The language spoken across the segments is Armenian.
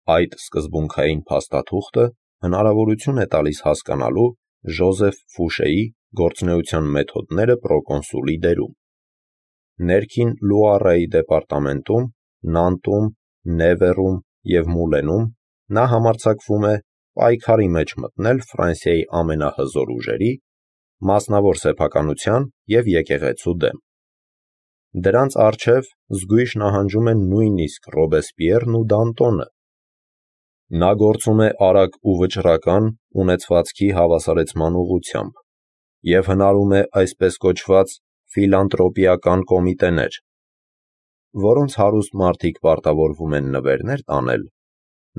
Այդ սկզբունքային փաստաթուղթը հնարավորություն է տալիս հասկանալու Ժոզեֆ Ֆուշեի գործունեության մեթոդները պրոկոնսուլի դերում։ Ներքին Լուարայի դեպարտամենտում, Նանտում, Նևերում և Մուլենում նա համարձակվում է պայքարի մեջ մտնել Ֆրանսիայի ամենահզոր ուժերի, մասնավոր սեփականության և եկեղեցու դեմ։ Դրանց առջև զգույշ նահանջում են նույնիսկ Ռոբեսպիերն ու Դանտոնը։ Նա գործում է արագ ու վճռական ունեցվածքի հավասարեցման ուղղությամբ և հնարում է այսպես կոչված ֆիլանտրոպիական կոմիտեներ, որոնց հարուստ մարդիկ պարտավորվում են նվերներ տանել,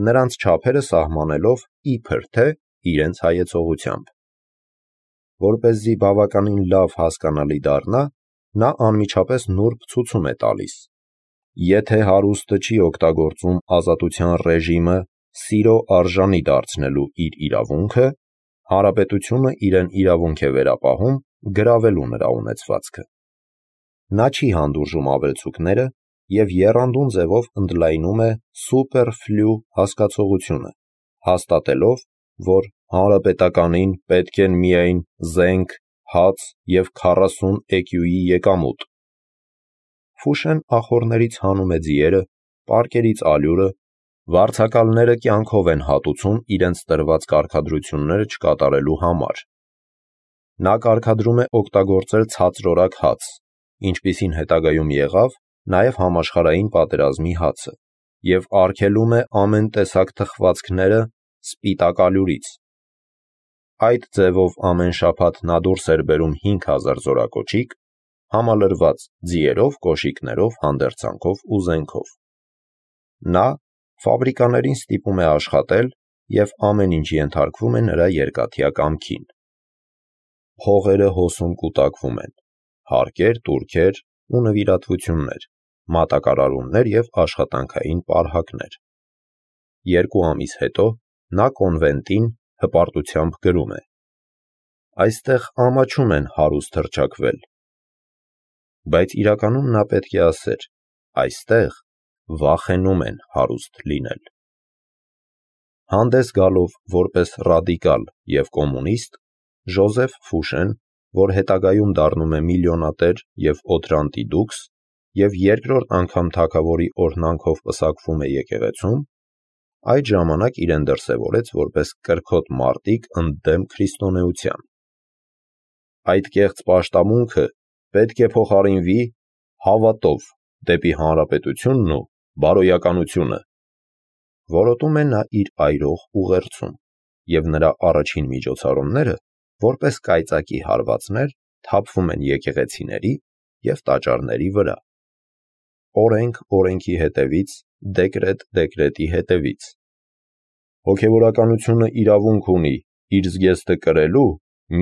նրանց չափերը սահմանելով իբր թե իրենց հայեցողությամբ։ Որպեսզի բավականին լավ հասկանալի դառնա, նա անմիջապես նուրբ ցուցում է տալիս. եթե հարուստը չի օգտագործում ազատության ռեժիմը սիրո արժանի դարձնելու իր իրավունքը, հանրապետությունը իրեն իրավունք է վերապահում գրավելու նրա ունեցվածքը։ Նա չի հանդուրժում ավելցուկները և եռանդուն ձևով ընդլայնում է սուպերֆլու հասկացողությունը, հաստատելով, որ հանրապետականին պետք են միայն զենք, հաց և 40 էկյուի եկամուտ։ Ֆուշեն ախոռներից հանում է ձիերը, պարկերից ալյուրը, վարձակալները կյանքով են հատուցում իրենց տրված կարգադրությունները չկատարելու համար։ Նա կարգադրում է օգտագործել ցածրորակ հաց, ինչպիսին հետագայում եղավ նաև համաշխարհային պատերազմի հացը, և արգելում է ամեն տեսակ թխվածքները սպիտակ ալյուրից։ Այդ ձևով ամեն շաբաթ նա դուրս էր բերում 5000 զորակոչիկ, համալրված ձիերով, կոշիկներով, հանդերձանքով ու զենքով։ Նա ֆաբրիկաներին ստիպում է աշխատել և ամեն ինչ ենթարկվում է նրա երկաթյա կամքին։ Փողերը հոսում կուտակվում են, հարկեր, տուրքեր ու նվիրատվություններ, մատակարարումներ և աշխատանքային պարհակներ։ 2 ամիս հետո նա կոնվենտին հպարտությամբ գրում է. «Այստեղ ամաչում են հարուստ հռչակվել»։ Բայց իրականում նա պետք է ասեր. «Այստեղ վախենում են հարուստ լինել»։ Հանդես գալով որպես ռադիկալ և կոմունիստ, Ժոզեֆ Ֆուշեն, որ հետագայում դառնում է միլիոնատեր և օդրանտի դուքս և երկրորդ անգամ թագավորի օրհնանքով պսակվում է եկեղեցում, այդ ժամանակ իրեն դրսևորեց որպես կրքոտ մարտիկ ընդդեմ քրիստոնեության։ Այդ կեղծ պաշտամունքը պետք է փոխարինվի հավատով դեպի հանրապետությունն ու բարոյականությունը, որոտում է նա իր այրող ուղերձում, և նրա առաջին միջոցառումները, որպես կայծակի հարվածներ, թափվում են եկեղեցիների և տաճարների վրա։ Օրենք օրենքի հետևից, դեկրետ դեկրետի հետևից։ Հոգևորականությունը իրավունք ունի իր զգեստը կրելու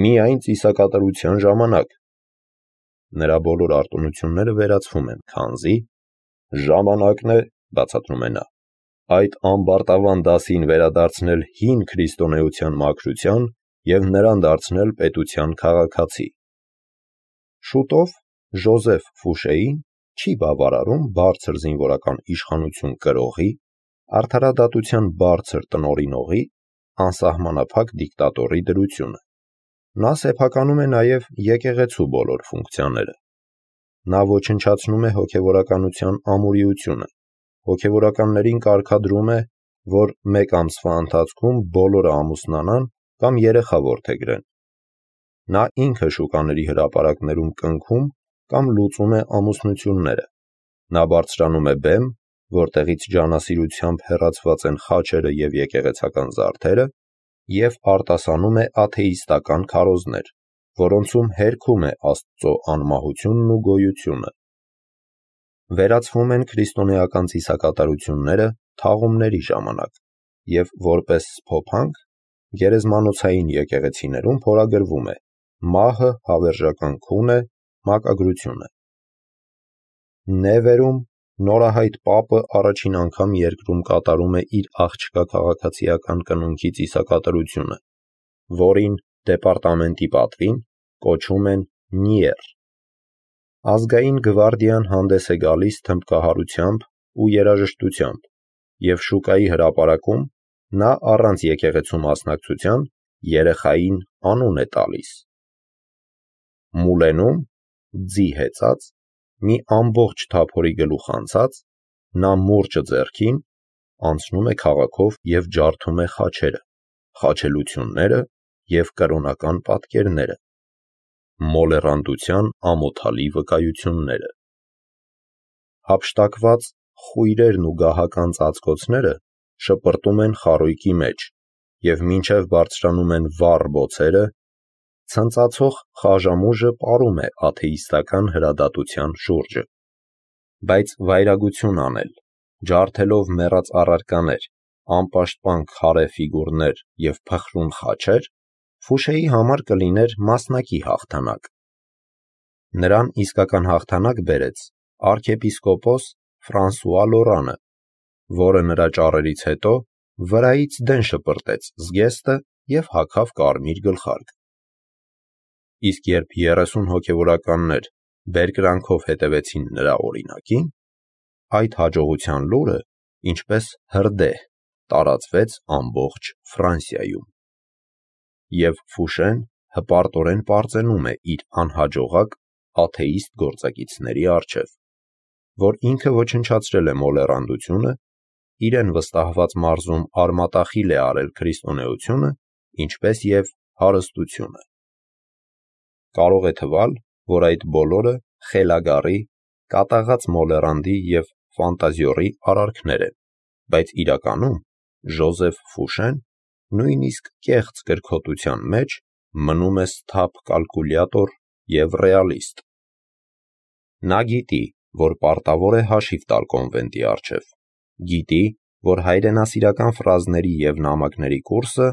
միայն ծիսակատարության ժամանակ։ Նրա բոլոր արտոնությունները վերացվում են, քանզի ժամանակն է, բացատրում է նա, այդ ամբարտավան դասին վերադարձնել հին քրիստոնեության մաքրության և նրան դարձնել պետության քաղաքացի։ Շուտով Ժոզեֆ Ֆուշեին չի բավարարում բարձր զինվորական իշխանություն կրողի, արդարադատության բարձր տնօրինողի, անսահմանափակ դիկտատորի դրությունը։ Նա սեփականում է նաև եկեղեցու բոլոր ֆունկցիաները։ Նա ոչնչացնում է հոգևորականության ամուրիությունը, հոգևորականներին կարգադրում է, որ 1 ամսվա ընթացքում բոլորը ամուսնանան կամ երեխա որդեգրեն։ Նա ինքը շուկաների հրապարակներում կնքում կամ լուծում է ամուսնությունները։ Նա բարձրանում է բեմ, որտեղից ջանասիրությամբ հեռացված են խաչերը և եկեղեցական զարդերը, և արտասանում է աթեիստական քարոզներ, որոնցում հերքում է Աստծո անմահությունն ու գոյությունը։ Վերացվում են քրիստոնեական ծիսակատարությունները թաղումների ժամանակ, և որպես սփոփանք գերեզմանոցային եկեղեցիներում փորագրվում է «Մահը հավերժական քուն է» մակագրությունը։ Նևերում նորահայտ պապը առաջին անգամ երկրում կատարում է իր աղջկա քաղաքացիական կնունքի ծիսակատարությունը, որին դեպարտամենտի պատվին կոչում են Նիեր։ Ազգային գվարդիան հանդես է գալիս թմբկահարությամբ ու երաժշտությամբ, և շուկայի հրապարակում նա առանց եկեղեցու մասնակցության երեխային անուն է տալիս։ Մուլենում, ձի հեծած, մի ամբողջ թափորի գլուխ անցած, նա մուրճը ձեռքին անցնում է քաղաքով և ջարդում է խաչերը, խաչելությունները և կրոնական պատկերները, մոլեռանդության ամոթալի վկայությունները։ Հափշտակված խույրերն ու գահական ծածկոցները շպրտում են խարույկի մեջ և մինչև բարձրանում են վառ բոցերը, ցնծացող խաժամուժը պարում է աթեիստական հրադատության շուրջը։ Բայց վայրագություն անել, ջարդելով մեռած առարկաներ, անպաշտպան քարե ֆիգուրներ և փխրուն խաչեր, Ֆուշեի համար կլիներ մասնակի հաղթանակ։ Նրան իսկական հաղթանակ բերեց արքեպիսկոպոս Ֆրանսուଆ Լորանը, որը նրա ճառերից հետո վրայից դեն շպրտեց զգեստը և հագավ կարմիր գլխարկ։ Իսկ երբ 30 հոգևորականներ բերկրանքով հետևեցին նրա օրինակին, այդ հաջողության լուրը, ինչպես հրդեհ, տարածվեց ամբողջ Ֆրանսիայում։ Եվ Ֆուշեն հպարտորեն պարծենում է իր անհաջողակ աթեիստ գործակիցների առջև, որ ինքը ոչնչացրել է մոլեռանդությունը, իրեն վստահված մարզում արմատախիլ է արել քրիստոնեությունը, ինչպես և հարստությունը։ Կարող է թվալ, որ այդ բոլորը խելագարի, կատաղած մոլեռանդի և ֆանտազիորի արարքներ են, բայց իրականում Ժոզեֆ Ֆուշեն նույնիսկ կեղծ կրքոտության մեջ մնում է սթափ կալկուլյատոր և ռեալիստ։ Նա գիտի, որ պարտավոր է հաշիվ տալ կոնվենտի առջև, գիտի, որ հայրենասիրական ֆրազների և նամակների կուրսը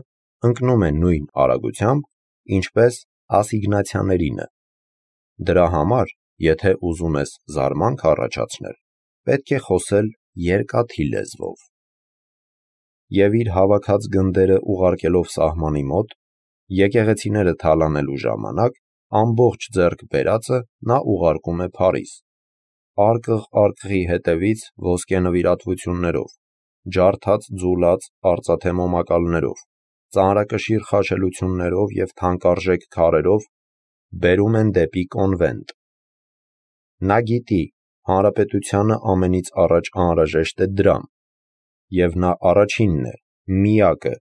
ընկնում է նույն արագությամբ, ինչպես ասիգնացիաներինը։ Դրա համար, եթե ուզում ես զարմանք առաջացնել, պետք է խոսել երկաթի լեզվով։ Եվ իր հավաքած գնդերը ուղարկելով սահմանի մոտ, եկեղեցիները թալանելու ժամանակ, ամբողջ ձեռք բերածը նա ուղարկում է Փարիզ, արկղ արկղի հետևից ոսկե նվիրատվություններով, ջարդած ձուլած արծաթե մոմակալներով, ծանրակշիռ խաչելություններով և թանկարժեք քարերով բերում են դեպի կոնվենտ։ Նա գիտի, հանրապետությանը ամենից առաջ անհրաժեշտ է դրամ, և նա առաջինն է, միակը,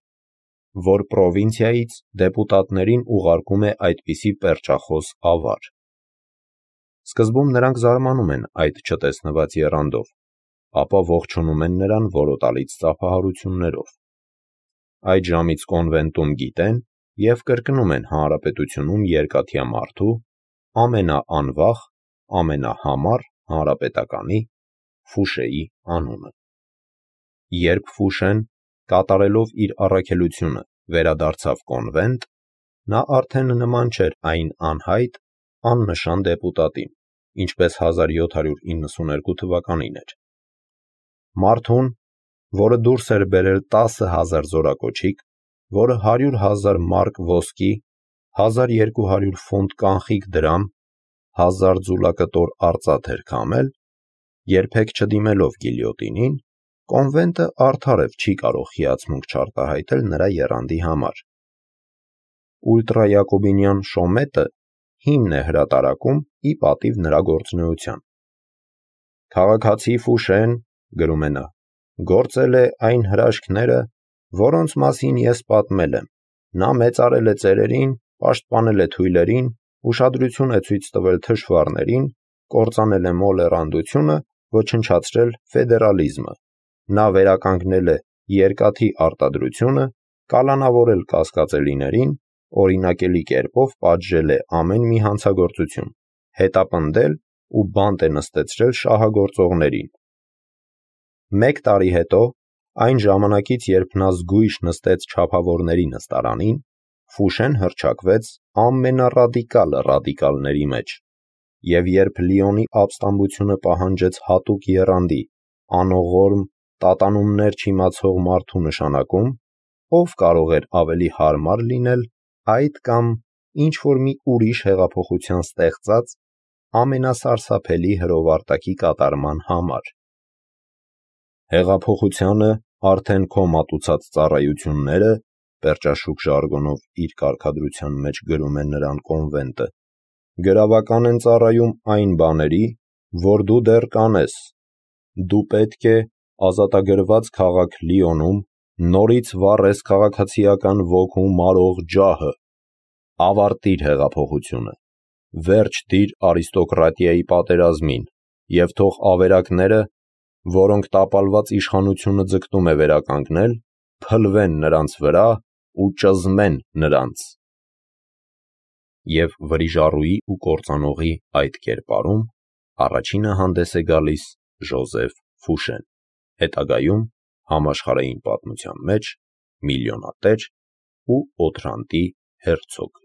որ պրովինցիայից դեպուտատներին ուղարկում է այդպիսի պերճախոս ավար։ Սկզբում նրանք զարմանում են այդ չտեսնված եռանդով, ապա ողջունում են նրան որոտալից ծափահարություններով։ Այդ ժամից կոնվենտում գիտեն և կրկնում են հանրապետությունում երկաթյա մարդու, ամենաանվախ, ամենահամառ հանրապետականի՝ Ֆուշեի անունը։ Երբ Ֆուշեն, կատարելով իր առաքելությունը, վերադարձավ կոնվենտ, նա արդեն նման չէր այն անհայտ, աննշան դեպուտատին, ինչպես 1792 թվականին էր։ Մարդուն, որը դուրս էր բերել 10,000 զորակոչիկ, որը 100,000 մարկ ոսկի, 1200 ֆունտ կանխիկ դրամ, 1000 ձուլակտոր արծաթ էր քամել, երբեք չդիմելով գիլյոտինին, կոնվենտը արդարև չի կարող հիացմունք չարտահայտել նրա եռանդի համար։ Ուլտրայակոբինյան Շոմետը հիմն է հրատարակում ի պատիվ նրա գործունեության։ «Քաղաքացի Ֆուշեն, — գրում է նա, — գործել է այն հրաշքները, որոնց մասին ես պատմել եմ։ Նա մեծարել է ծերերին, պաշտպանել է թույլերին, ուշադրություն է ցույց տվել թշվառներին, կործանել է մոլեռանդությունը, ոչնչացրել ֆեդերալիզմը։ Նա վերականգնել է երկաթի արտադրությունը, կալանավորել կասկածելիներին, օրինակելի կերպով պատժել է ամեն մի հանցագործություն, հետապնդել ու բանտ է նստեցրել շահագործողներին։ 1 տարի հետո, այն ժամանակից, երբ նա զգույշ նստեց չափավորների նստարանին, Ֆուշեն հռչակվեց ամենառադիկալը ռադիկալների մեջ, և երբ Լիոնի ապստամբությունը պահանջեց հատուկ եռանդի, անողորմ, տատանումներ չիմացող մարդու նշանակում, ով կարող էր ավելի հարմար լինել այդ կամ ինչ-որ մի ուրիշ հեղափոխության ստեղծած ամենասարսափելի հրովարտակի կատարման համար։ Հեղափոխությանը արդեն քո մատուցած ծառայությունները, պերճաշուք ժարգոնով իր կարգադրության մեջ գրում է նրան կոնվենտը, գրավական են ծառայում այն բաների, որ դու դեռ կանես։ Դու պետք է ազատագրված քաղաք Լիոնում նորից վառես քաղաքացիական ոգու մարող ջահը, ավարտիր հեղափոխությունը, վերջ դիր արիստոկրատիայի պատերազմին և թող ավերակները, որոնք տապալված իշխանությունը ձգտում է վերականգնել, փլվեն նրանց վրա ու ճզմեն նրանց։ Եվ վրիժառուի ու կործանողի այդ կերպարում առաջինը հանդես է գալիս Ժոզեֆ Ֆուշեն, հետագայում համաշխարհային պատմության մեջ միլիոնատեր ու օթրանտի հերցոգ։